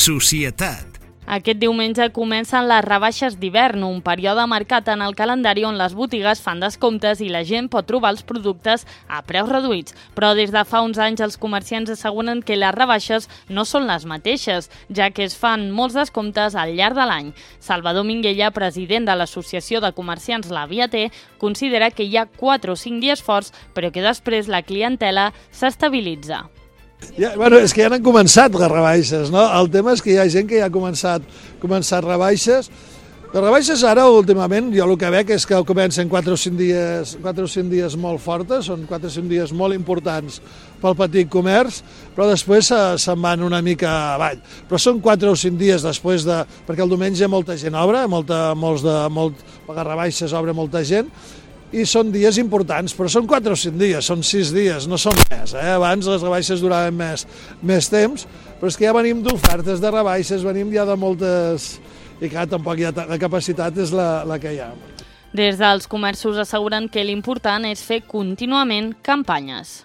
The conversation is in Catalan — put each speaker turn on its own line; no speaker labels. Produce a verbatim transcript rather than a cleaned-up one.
Societat.
Aquest diumenge comencen les rebaixes d'hivern, un període marcat en el calendari on les botigues fan descomptes i la gent pot trobar els productes a preus reduïts. Però des de fa uns anys els comerciants asseguren que les rebaixes no són les mateixes, ja que es fan molts descomptes al llarg de l'any. Salvador Minguella, president de l'Associació de Comerciants La Via T, considera que hi ha quatre o cinc dies forts, però que després la clientela s'estabilitza.
Ja, bueno, és que ja han començat les rebaixes, no? El tema és que hi ha gent que ja ha començat, començat rebaixes. Les rebaixes ara, últimament, jo el que veig és que comencen quatre o cinc dies, quatre o cinc dies molt fortes, són quatre o cinc dies molt importants pel petit comerç, però després se'n van una mica avall. Però són quatre o cinc dies després de... perquè el diumenge molta gent obre, molta, molts de, molt, per les rebaixes obre molta gent, i són dies importants, però són quatre o cinc dies, són sis dies, no són més. Eh? Abans les rebaixes duraven més, més temps, però és que ja venim d'ofertes de rebaixes, venim ja de moltes... i clar, tampoc hi ha... la capacitat és la, la que hi ha.
Des dels comerços asseguren que l'important és fer contínuament campanyes.